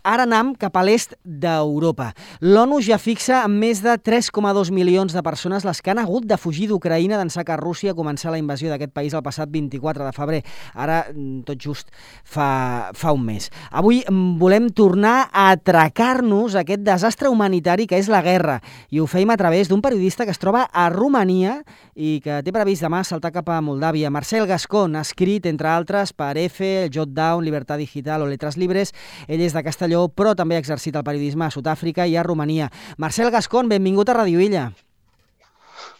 ara anam cap a l'est d'Europa. L'ONU ja fixa en més de 3,2 milions de persones les que han hagut de fugir d'Ucraïna d'ençà que Rússia començar la invasió d'aquest país el passat 24 de febrer. Ara, tot just fa un mes. Avui volem tornar a atracar-nos aquest desastre humanitari que és la guerra. I ho feim a través d'un periodista que es troba a Romania i que té previst demà saltar cap a Moldàvia. Marcel Gascón ha escrit, entre altres, per EFE, Jotdown, Libertad Digital o Letras Libres. Ell és de Castelló, però també ha exercit el periodisme a Sud-àfrica i a Romania. Marcel Gascón, benvingut a Radio Illa.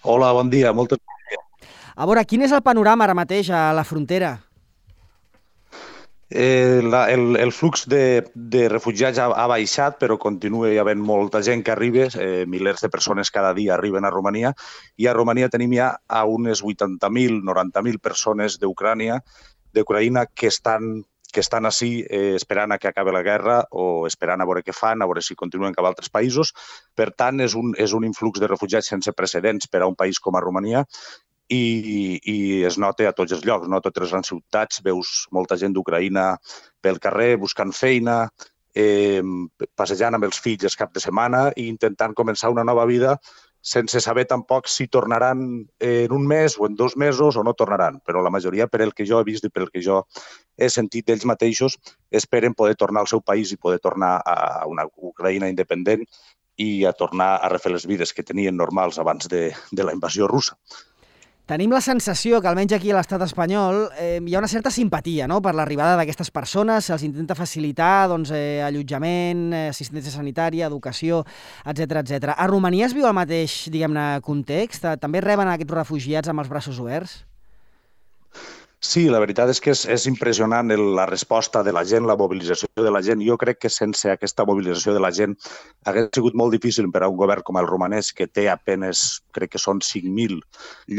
Hola, bon dia, moltes gràcies. A veure, quin és el panorama ara mateix a la frontera? El flux de refugiats ha baixat, però continua havent molta gent que arriba, milers de persones cada dia arriben a Romania, i a Romania tenim ja a unes 80.000, 90.000 persones d'Ucraïna que estan ací esperant a que acabi la guerra o esperant a veure què fan, a veure si continuen cap a altres països. Per tant, és un influx de refugiats sense precedents per a un país com a Romania i es nota a tots els llocs, no? A totes les grans ciutats veus molta gent d'Ucraïna pel carrer buscant feina, passejant amb els fills els caps de setmana i intentant començar una nova vida sense saber tampoc si tornaran en un mes o en 2 mesos o no tornaran. Però la majoria, per el que jo he vist i per el que jo he sentit d'ells mateixos, esperen poder tornar al seu país i poder tornar a una Ucraïna independent i a tornar a refer les vides que tenien normals abans de la invasió russa. Tenim la sensació que, almenys aquí a l'estat espanyol, hi ha una certa simpatia, no?, per l'arribada d'aquestes persones. Se'ls intenta facilitar allotjament, assistència sanitària, educació, etc. A Romania es viu el mateix, diguem-ne, context? També reben aquests refugiats amb els braços oberts? Sí, la veritat és que és impressionant la resposta de la gent, la mobilització de la gent. Jo crec que sense aquesta mobilització de la gent hauria sigut molt difícil per a un govern com el romanès, que té apenes, crec que són 5.000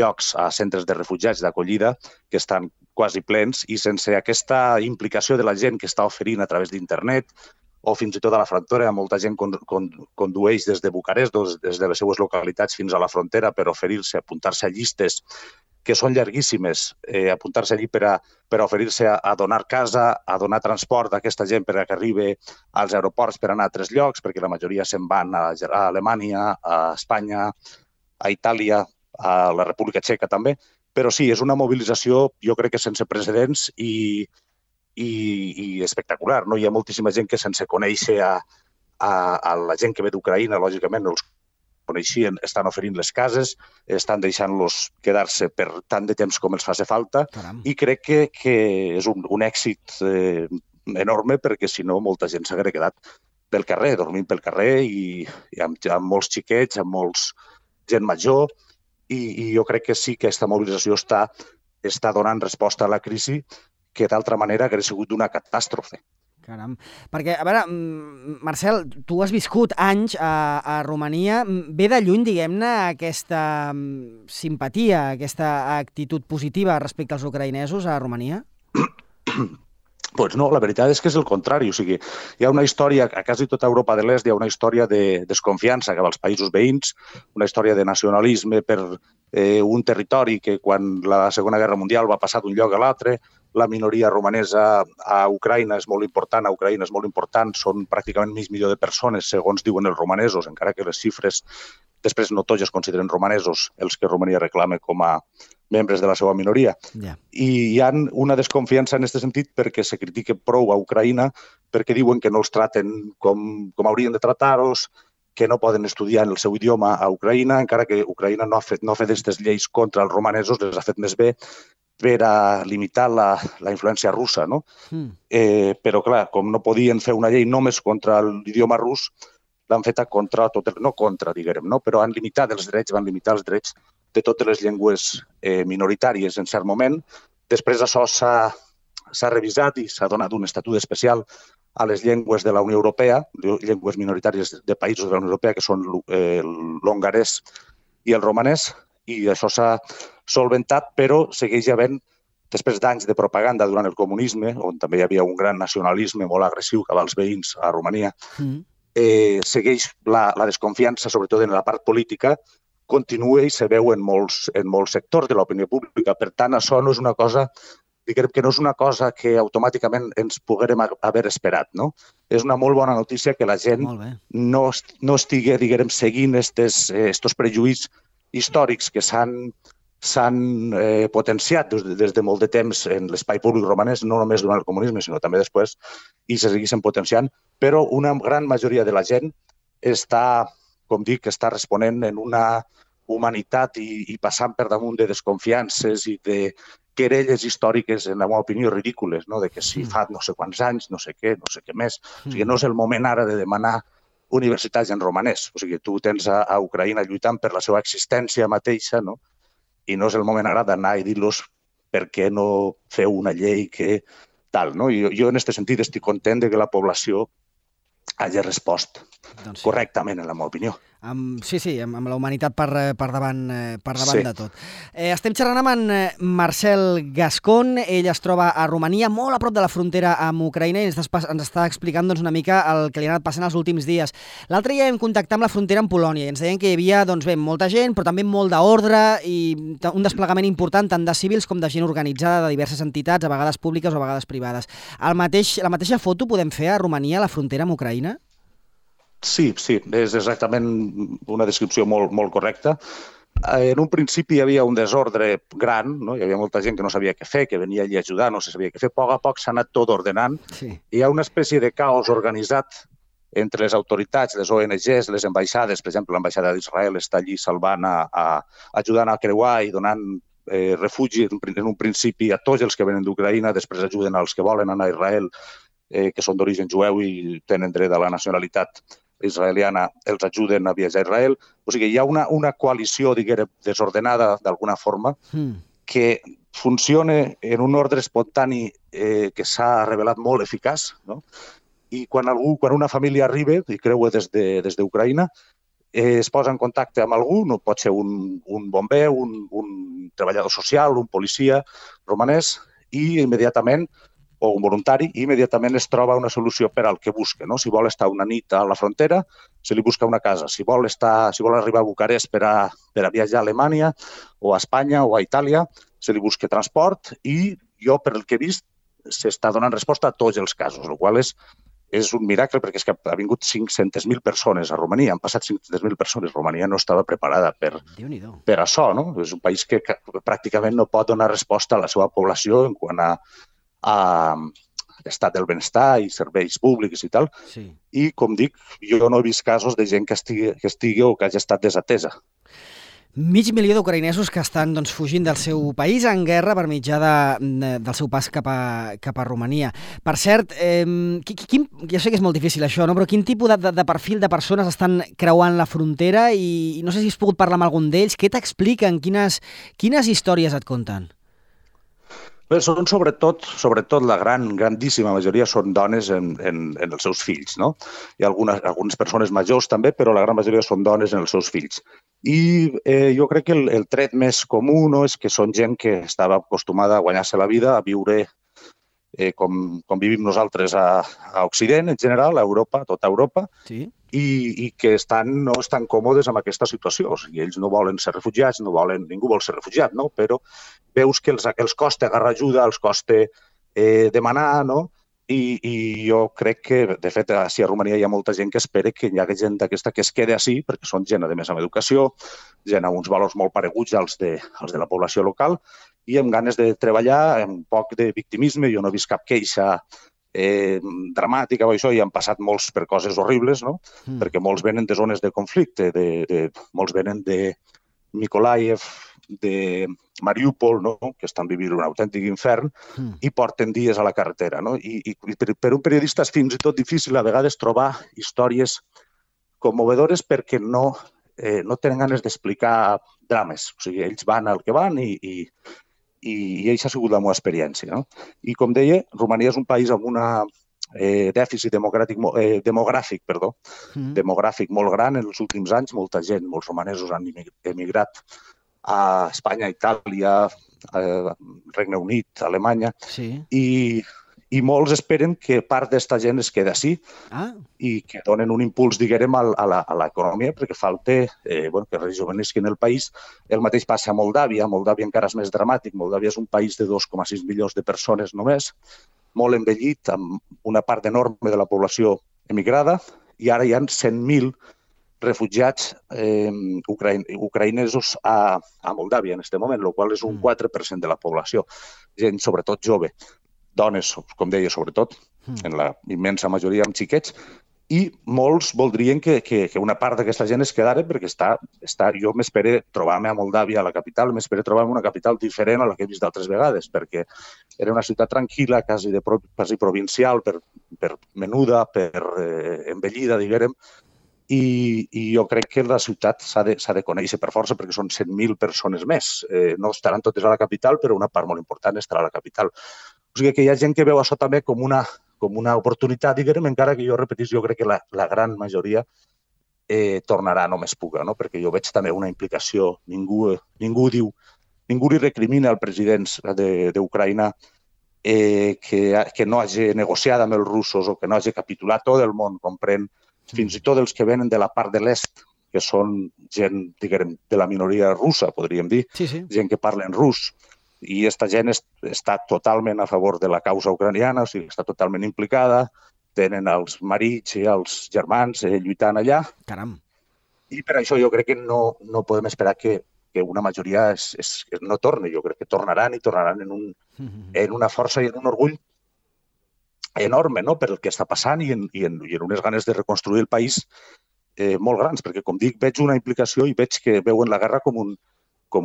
llocs a centres de refugiats d'acollida, que estan quasi plens, i sense aquesta implicació de la gent que està oferint a través d'internet o fins i tot a la frontera, molta gent condueix des de Bucarest, des de les seues localitats fins a la frontera per oferir-se, apuntar-se a llistes que són llarguíssimes, apuntar-se allí per a oferir-se a donar casa, a donar transport a aquesta gent per a que arribi als aeroports per anar a altres llocs, perquè la majoria se'n van a Alemanya, a Espanya, a Itàlia, a la República Txeca també. Però sí, és una mobilització, jo crec que sense precedents i espectacular. Hi ha moltíssima gent que sense conèixer a la gent que ve d'Ucraïna, lògicament, els coneixien, estan oferint les cases, estan deixant-los quedar-se per tant de temps com els faci falta. Caram. I crec que és un èxit enorme, perquè si no molta gent s'hauria quedat pel carrer, dormint pel carrer i amb molts xiquets, amb molts gent major, i jo crec que sí que aquesta mobilització està donant resposta a la crisi que d'altra manera hauria sigut una catàstrofe. Caram. Perquè, a veure, Marcel, tu has viscut anys a Romania. Ve de lluny, diguem-ne, aquesta simpatia, aquesta actitud positiva respecte als ucraïnesos a Romania? Doncs no, la veritat és que és el contrari. O sigui, hi ha una història, a quasi tota Europa de l'Est hi ha una història de desconfiança cap als països veïns, una història de nacionalisme per un territori que quan la Segona Guerra Mundial va passar d'un lloc a l'altre. La minoria romanesa a Ucraïna és molt important, són pràcticament mig milió de persones, segons diuen els romanesos, encara que les xifres després no tots es consideren romanesos, els que Romania reclama com a membres de la seva minoria. Yeah. I hi ha una desconfiança en aquest sentit perquè se critica prou a Ucraïna, perquè diuen que no els traten com haurien de tratar-los, que no poden estudiar en el seu idioma a Ucraïna, encara que Ucraïna no ha fet aquestes lleis contra els romanesos, les ha fet més bé per a limitar la influència russa, no? Però, clar, com no podien fer una llei només contra l'idioma rus, l'han feta contra tot, no contra, diguem, no? Però van limitar els drets de totes les llengües minoritàries en cert moment. Després això s'ha revisat i s'ha donat un estatut especial a les llengües de la Unió Europea, llengües minoritàries de països de la Unió Europea, que són l'hongarès i el romanès, i això s'ha solventat, però segueix havent, després d'anys de propaganda durant el comunisme, on també hi havia un gran nacionalisme molt agressiu cap als veïns a Romania, segueix la desconfiança, sobretot en la part política, continua i se veu en molts sectors de l'opinió pública. Per tant, això no és una cosa diguem que no és una cosa que automàticament ens poguérem haver esperat, no? És una molt bona notícia que la gent no estigui, diguem, seguint estos prejuïts històrics que s'han potenciat des de molt de temps en l'espai públic romanès, no només durant el comunisme, sinó també després, i se segueixen potenciant, però una gran majoria de la gent està, com dic, està responent en una humanitat i passant per damunt de desconfiances i de querelles històriques, en la meva opinió, ridícules, no? De que si fa no sé quants anys, no sé què més. O sigui, no és el moment ara de demanar universitats en romanès. O sigui, tu tens a Ucraïna lluitant per la seva existència mateixa, no? I no és el moment ara d'anar i dir-los per què no feu una llei que tal, no? Jo en aquest sentit estic content de que la població hagi respost correctament, en la meva opinió. Sí, amb la humanitat per davant de tot. Estem xerrant amb en Marcel Gascon. Ell es troba a Romania, molt a prop de la frontera amb Ucraïna, i ens està explicant una mica el que li ha anat passant els últims dies. L'altre dia vam contactar amb la frontera amb Polònia i ens deien que hi havia molta gent, però també molt d'ordre i un desplegament important tant de civils com de gent organitzada de diverses entitats, a vegades públiques o a vegades privades. La mateixa foto podem fer a Romania, a la frontera amb Ucraïna? Sí, és exactament una descripció molt correcta. En un principi hi havia un desordre gran, no? Hi havia molta gent que no sabia què fer, que venia allí a ajudar, no se sabia què fer. A poc s'ha anat tot ordenant. Sí. Hi ha una espècie de caos organitzat entre les autoritats, les ONGs, les ambaixades. Per exemple, l'ambaixada d'Israel està allí salvant, ajudant a creuar i donant refugi en un principi a tots els que venen d'Ucraïna, després ajuden als que volen anar a Israel, que són d'origen jueu i tenen dret a la nacionalitat israeliana, els ajuden a viatjar a Israel. O sigui, hi ha una coalició, diguem, desordenada d'alguna forma, que funciona en un ordre espontani que s'ha revelat molt eficaç, no? I quan una família arriba i creua des d'Ucraïna, es posa en contacte amb algú, no pot ser un bomber, un treballador social, un policia romanès, i immediatament o un voluntari, i immediatament es troba una solució per al que busca, no? Si vol estar una nit a la frontera, se li busca una casa. Si vol arribar a Bucarest per a viatjar a Alemanya o a Espanya o a Itàlia, se li busca transport, i jo, per el que he vist, s'està donant resposta a tots els casos, el qual és un miracle, perquè és que ha vingut 500.000 persones a Romania, han passat 500.000 persones. Romania no estava preparada per això, no? És un país que pràcticament no pot donar resposta a la seva població en quant a estat del benestar i serveis públics i tal. Sí. I, com dic, jo no he vist casos de gent que estigui o que hagi estat desatesa. 500.000 d'ucraïnesos que estan fugint del seu país en guerra per mitjà del seu pas cap a Romania. Per cert, ja sé que és molt difícil això, no? Però quin tipus de perfil de persones estan creuant la frontera i no sé si has pogut parlar amb algun d'ells. Què t'expliquen? Quines històries et conten? Bé, són sobretot la grandíssima majoria són dones en els seus fills, no? Hi ha algunes persones majors també, però la gran majoria són dones en els seus fills. I jo crec que el tret més comú, no, és que són gent que estava acostumada a guanyar-se la vida, a viure com vivim nosaltres a Occident, en general, a Europa, a tota Europa, sí. I que no estan còmodes amb aquesta situació. O sigui, ells no volen ser refugiats, ningú vol ser refugiat, no? Però veus que els costa agarrar ajuda, els costa demanar, no? I jo crec que, de fet, a Romania hi ha molta gent que espera que hi hagi gent d'aquesta que es quedi així, perquè són gent, a més, amb educació, gent amb uns valors molt pareguts als de la població local, i amb ganes de treballar, amb un poc de victimisme. Jo no he vist cap queixa dramàtica o això, i han passat molts per coses horribles, no? Perquè molts venen de zones de conflicte, molts venen de Mykolaiv, de Mariúpol, no? Que estan vivint un autèntic infern, i porten dies a la carretera, no? I per un periodista és fins i tot difícil a vegades trobar històries commovedores perquè no tenen ganes d'explicar drames. O sigui, ells van al que van i això ha sigut la meva experiència, no? I com deia, Romania és un país amb un dèficit demogràfic molt gran en els últims anys. Molta gent, molts romanesos han emigrat a Espanya, Itàlia, Regne Unit, Alemanya, sí. I i molts esperen que part d'esta gent es quedi així i que donen un impuls, diguem, a l'economia, perquè falta que rejuvenesquin el país. El mateix passa a Moldàvia. A Moldàvia encara és més dramàtic. Moldàvia és un país de 2,6 milions de persones només, molt envellit, amb una part enorme de la població emigrada, i ara hi ha 100.000 refugiats ucraïnesos a Moldàvia en aquest moment, el qual és un 4% de la població. Gent, sobretot jove. Dones, com deia, sobretot, en la immensa majoria amb xiquets, i molts voldrien que una part d'aquesta gent es quedara perquè jo m'espero trobar-me a Moldàvia, a la capital, m'espero trobar-me una capital diferent a la que he vist d'altres vegades, perquè era una ciutat tranquil·la, quasi provincial, per menuda, per envellida, diguem, i jo crec que la ciutat s'ha de conèixer per força perquè són 100.000 persones més. No estaran totes a la capital, però una part molt important estarà a la capital. O sigui que hi ha gent que veu això també com una oportunitat, diguem, encara que jo crec que la gran majoria tornarà només puga, no? Perquè jo veig també una implicació. Ningú li recrimina al president d'Ucraïna que no hagi negociat amb els russos o que no hagi capitulat. Tot el món comprèn, fins i tot els que venen de la part de l'est, que són gent, diguem, de la minoria russa, podríem dir, gent que parlen rus. I aquesta gent està totalment a favor de la causa ucraniana, o sigui, està totalment implicada, tenen els marits i els germans lluitant allà. Caram. I per això jo crec que no podem esperar que una majoria no torni. Jo crec que tornaran en una força i en un orgull enorme, no?, per el que està passant i en unes ganes de reconstruir el país molt grans, perquè, com dic, veig una implicació i veig que veuen la guerra com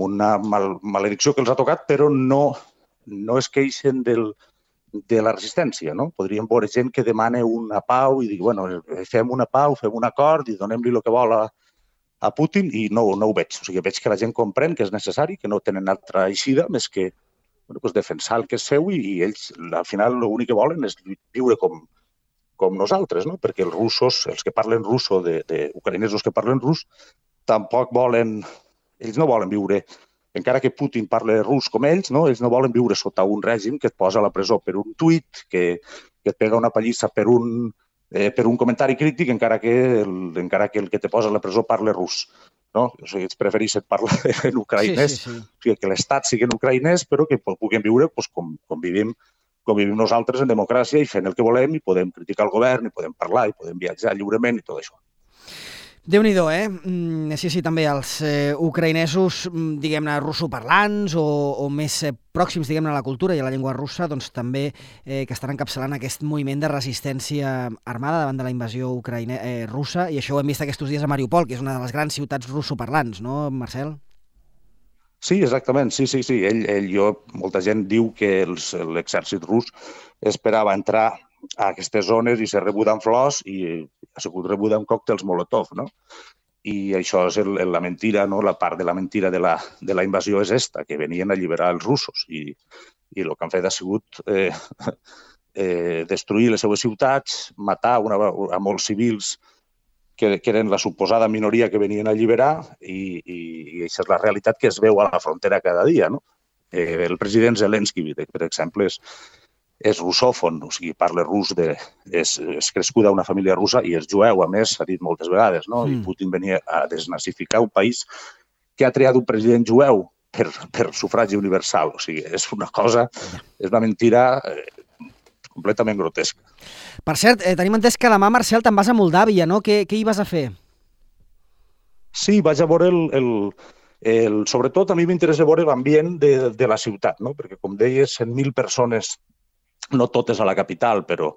una maledicció que els ha tocat, però no es queixen de la resistència, no? Podríem veure gent que demana una pau i dir, bueno, fem una pau, fem un acord i donem-li el que vol a Putin, i no ho veig. O sigui, veig que la gent comprèn que és necessari, que no tenen altra eixida més que defensar el que és seu, i ells, al final, l'únic que volen és viure com nosaltres, no? Perquè els russos, els que parlen rus, o ucraïnesos que parlen rus, tampoc volen... Ells no volen viure, encara que Putin parli rus com ells, no? Ells no volen viure sota un règim que et posa a la presó per un tuit, que et pega una pallissa per un comentari crític, encara que el que te posa a la presó parli rus. No? O sigui, ells prefereixen parlar en ucraïnès, o sigui, que l'estat sigui en ucraïnès, però que puguem viure com vivim nosaltres en democràcia i fent el que volem, i podem criticar el govern, i podem parlar, i podem viatjar lliurement i tot això. Déu-n'hi-do, Sí, també els ucraïnesos, diguem-ne, russoparlants o més pròxims, diguem-ne, a la cultura i a la llengua russa, doncs també que estan encapçalant aquest moviment de resistència armada davant de la invasió russa, i això ho hem vist aquests dies a Mariupol, que és una de les grans ciutats russoparlants, no, Marcel? Sí, exactament, sí. Molta gent diu que l'exèrcit rus esperava entrar a aquestes zones i ser rebuda amb flors, i ha sigut rebuda amb còctels Molotov, no? I això és la mentira, no? La part de la mentira de la invasió és esta, que venien a alliberar els russos, i el que han fet ha sigut destruir les seues ciutats, matar a molts civils que eren la suposada minoria que venien a alliberar, i aquesta és la realitat que es veu a la frontera cada dia, no? El president Zelensky, per exemple, és russòfon, o sigui, parla rus, és crescuda a una família russa i és jueu, a més, s'ha dit moltes vegades, no? I Putin venia a desnazificar un país que ha triat un president jueu per sufragi universal. O sigui, és una mentira completament grotesca. Per cert, tenim entès que demà, Marcel, te'n vas a Moldàvia, no? Què hi vas a fer? Sí, vaig a veure sobretot a mi m'interessa veure l'ambient de la ciutat, no? Perquè, com deies, 100.000 persones, no totes a la capital, però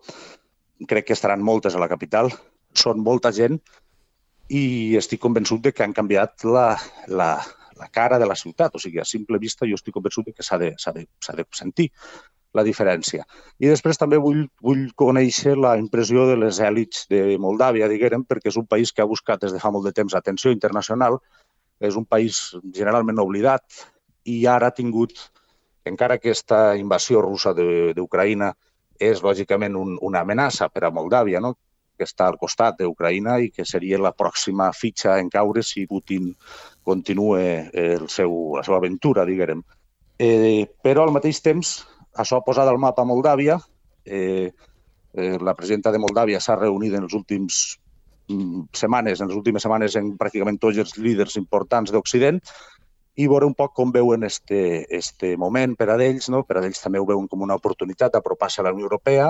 crec que estaran moltes a la capital, són molta gent, i estic convençut que han canviat la cara de la ciutat. O sigui, a simple vista jo estic convençut que s'ha de sentir la diferència. I després també vull conèixer la impressió de les èlits de Moldàvia, diguem, perquè és un país que ha buscat des de fa molt de temps atenció internacional, és un país generalment oblidat, i ara ha tingut, encara que aquesta invasió russa d'Ucraïna és lògicament una amenaça per a Moldàvia, no?, que està al costat d'Ucraïna i que seria la pròxima fitxa en caure si Putin continua la seva aventura, diguem. Però al mateix temps, això ha posat al mapa Moldàvia La presidenta de Moldàvia s'ha reunit en les últimes setmanes en pràcticament tots els líders importants d'Occident i veure un poc com veuen este moment per a ells, no? Per a ells també ho veuen com una oportunitat d'apropar-se a la Unió Europea.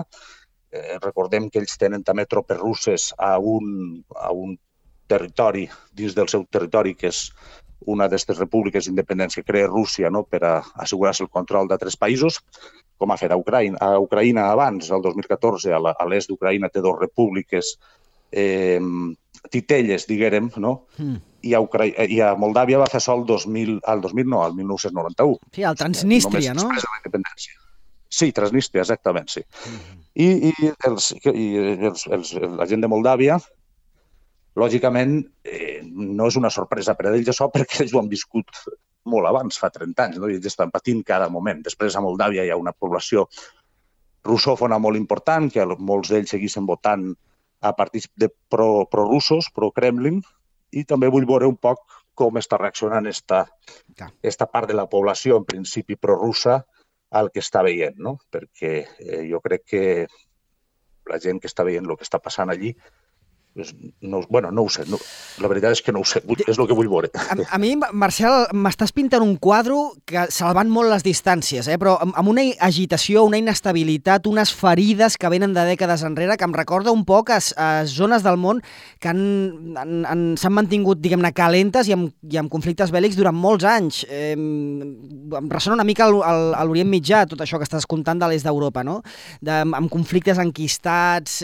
Recordem que ells tenen també tropes russes a un territori, dins del seu territori, que és una d'aquestes repúbliques d'independència que crea Rússia, no? Per a assegurar-se el control d'altres països, com ha fet a Ucraïna. A Ucraïna abans, el 2014, a l'est d'Ucraïna té dues repúbliques titelles, diguérem, no? I a Moldàvia va fer sol al 1991. Sí, al Transnistria, no? Després de la independència. Sí, Transnistria, exactament, sí. I la gent de Moldàvia, lògicament, no és una sorpresa per a ells això, perquè ells ho han viscut molt abans, fa 30 anys, no? I ells estan patint cada moment. Després a Moldàvia hi ha una població russòfona molt important, que molts d'ells seguissin votant a partits pro-russos, pro-Kremlin, i també vull veure un poc com està reaccionant esta part de la població, en principi pro-russa, al que està veient, no? Perquè jo crec que la gent que està veient el que està passant allí, no ho sé, la veritat és que no ho sé, és el que vull veure. A mi, Marcel, m'estàs pintant un quadre que salvant molt les distàncies, però amb una agitació, una inestabilitat, unes ferides que venen de dècades enrere, que em recorda un poc a zones del món que s'han mantingut, diguem-ne, calentes i amb conflictes bèl·lics durant molts anys. Em ressona una mica a l'Orient Mitjà, tot això que estàs contant de l'est d'Europa, no? Amb conflictes enquistats,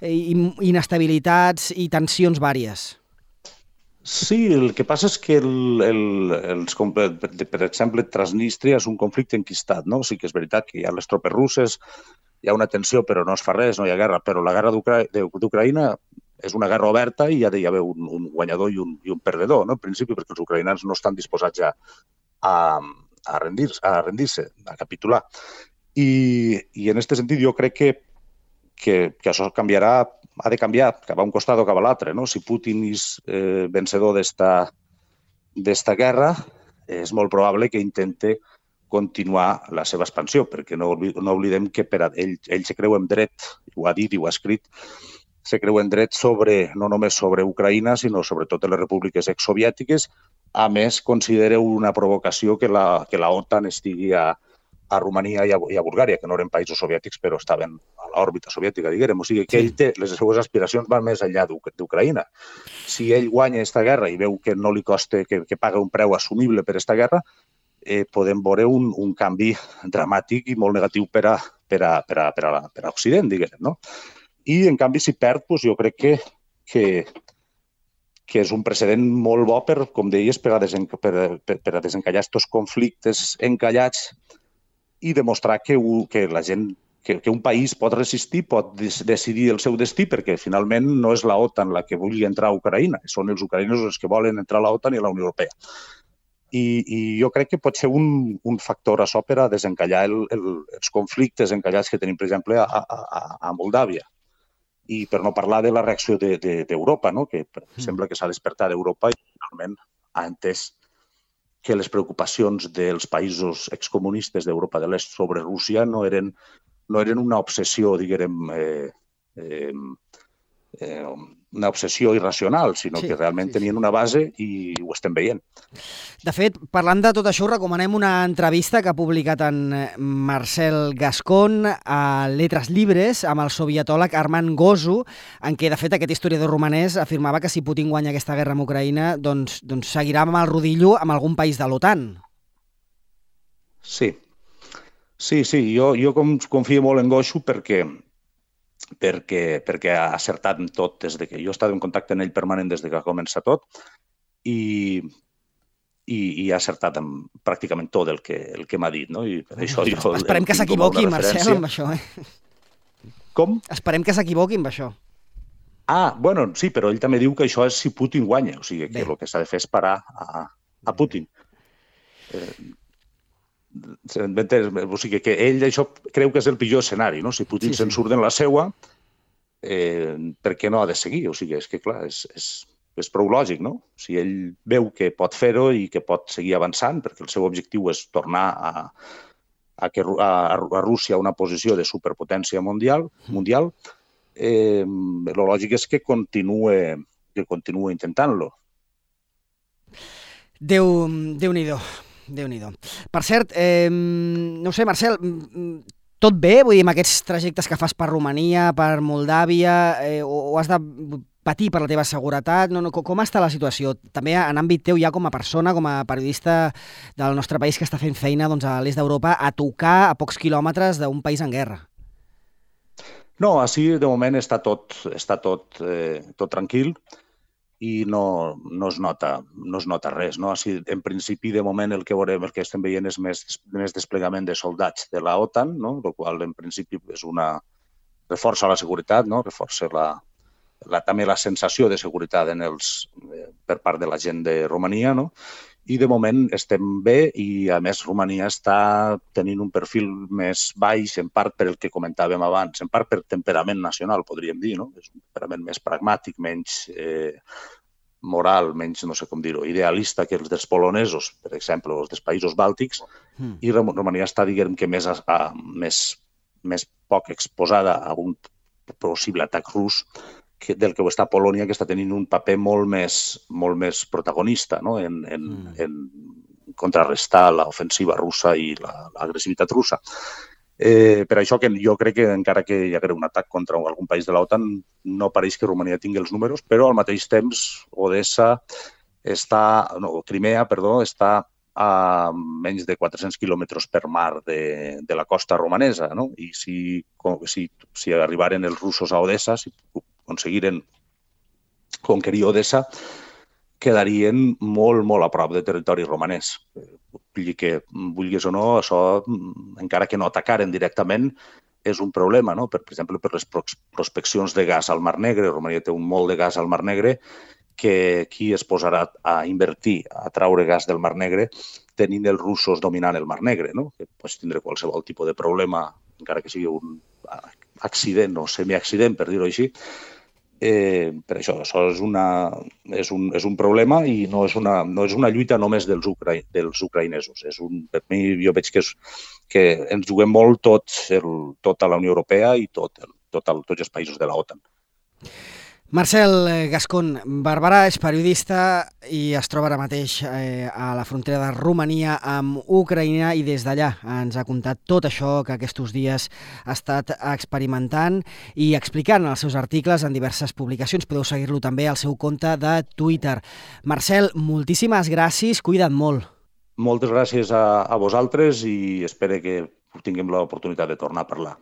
inestabilitats i tensions vàries. Sí, el que passa és que, per exemple, Transnistria és un conflicte enquistat, no? Sí que és veritat que hi ha les tropes russes, hi ha una tensió, però no es fa res, no hi ha guerra. Però la guerra d'Ucraïna és una guerra oberta i ha d'haver un guanyador i un perdedor, no? En principi, perquè els ucraïnans no estan disposats ja a rendir-se, a capitular. I en aquest sentit jo crec que això ha de canviar cap a un costat o cap a l'altre, no? Si Putin és vencedor d'esta guerra, és molt probable que intente continuar la seva expansió, perquè no oblidem que ell se creu en dret, ho ha dit i ho ha escrit, se creu en dret no només sobre Ucraïna, sinó sobre totes les repúbliques exsoviètiques. A més, considera una provocació que la OTAN estigui a Romania i a Bulgària, que no eren països soviètics, però estaven a l'òrbita soviètica, diguem. O sigui que ell té, les seues aspiracions van més enllà d'Ucraïna. Si ell guanya aquesta guerra i veu que no li costa, que paga un preu assumible per aquesta guerra, podem veure un canvi dramàtic i molt negatiu per a Occident, diguem, no? I, en canvi, si perd, jo crec que és un precedent molt bo per, com deies, per a desencallar aquests conflictes encallats i demostrar que la gent, que un país pot resistir, pot decidir el seu destí, perquè finalment no és la OTAN la que vulgui entrar a Ucraïna, són els ucraïnesos els que volen entrar a la OTAN i a la Unió Europea. I jo crec que pot ser un factor a so per a desencallar els conflictes encallats que tenim, per exemple, a Moldàvia. I per no parlar de la reacció d'Europa, no? Que sembla que s'ha despertat d'Europa i finalment ha entès que les preocupacions dels països excomunistes d'Europa de l'Est sobre Rússia no eren una obsessió, diguem, una obsessió irracional, sinó que realment tenien una base i ho estem veient. De fet, parlant de tot això, recomanem una entrevista que ha publicat en Marcel Gascon a Letras Libres amb el sovietòleg Armand Gozu, en què, de fet, aquest historiador romanès afirmava que si Putin guanya aquesta guerra amb Ucraïna, doncs seguirà amb el rodillo amb algun país de l'OTAN. Sí. Jo confio molt en Gozu perquè ha acertat en tot des de que jo he estat en contacte amb ell permanent des de que ha començat tot i ha acertat amb pràcticament tot el que m'ha dit, no? I per això esperem que s'equivoqui, Marcel, amb això, Com? Esperem que s'equivoqui amb això. Bueno, sí, però ell també diu que això és si Putin guanya, o sigui que el que s'ha de fer és parar a Putin. O sigui que ell això creu que és el pitjor escenari, no? Si Putin se'n surt en la seua, per què no ha de seguir? O sigui, és que clar, és prou lògic, no? Si ell veu que pot fer-ho i que pot seguir avançant, perquè el seu objectiu és tornar a Rússia una posició de superpotència mundial, el lògic és que continue intentant-lo. Déu-n'hi-do. Per cert, no sé, Marcel, tot bé? Vull dir, amb aquests trajectes que fas per Romania, per Moldàvia, o has de patir per la teva seguretat? Com està la situació? També en àmbit teu, ja com a persona, com a periodista del nostre país que està fent feina a l'est d'Europa, a tocar a pocs quilòmetres d'un país en guerra. No, així de moment està tot tranquil i no es nota res. No? Així, en principi, de moment, el que estem veient és més desplegament de soldats de la OTAN, no? El qual, en principi, reforça la seguretat, no? Reforça també la sensació de seguretat per part de la gent de Romania, no? I de moment estem bé i, a més, Romania està tenint un perfil més baix, en part per el que comentàvem abans, en part per temperament nacional, podríem dir, no? És un temperament més pragmàtic, menys moral, menys, no sé com dir-ho, idealista que els dels polonesos, per exemple, o els dels països bàltics, i Romania està, diguem que, més poc exposada a un possible atac rus del que ho està Polònia, que està tenint un paper molt més protagonista, no? en contrarrestar l'ofensiva russa i l'agressivitat russa. Per això que jo crec que encara que hi hagués un atac contra algun país de l'OTAN, no pareix que Romania tingui els números, però al mateix temps Crimea està a menys de 400 quilòmetres per mar de la costa romanesa, no? I si arribaren els russos a Odessa, si aconseguiren conquerir Odessa, quedarien molt, molt a prop de territori romanès. Vull dir que, vulguis o no, això, encara que no atacaren directament, és un problema, no? Per exemple, per les prospeccions de gas al Mar Negre. Romania té un molt de gas al Mar Negre, que qui es posarà a invertir, a traure gas del Mar Negre, tenint els russos dominant el Mar Negre, no? Que pots tindre qualsevol tipus de problema, encara que sigui un accident o semiaccident, per dir-ho així. Per això és un problema i no és una lluita només dels ucraïnesos. Per mi, jo veig que ens juguem molt tota la Unió Europea i tots els països de la OTAN. Marcel Gascón, Barberà és periodista i es troba ara mateix a la frontera de Romania amb Ucraïna i des d'allà ens ha contat tot això que aquests dies ha estat experimentant i explicant en els seus articles en diverses publicacions. Podeu seguir-lo també al seu compte de Twitter. Marcel, moltíssimes gràcies, cuida't molt. Moltes gràcies a vosaltres i espero que tinguem l'oportunitat de tornar a parlar.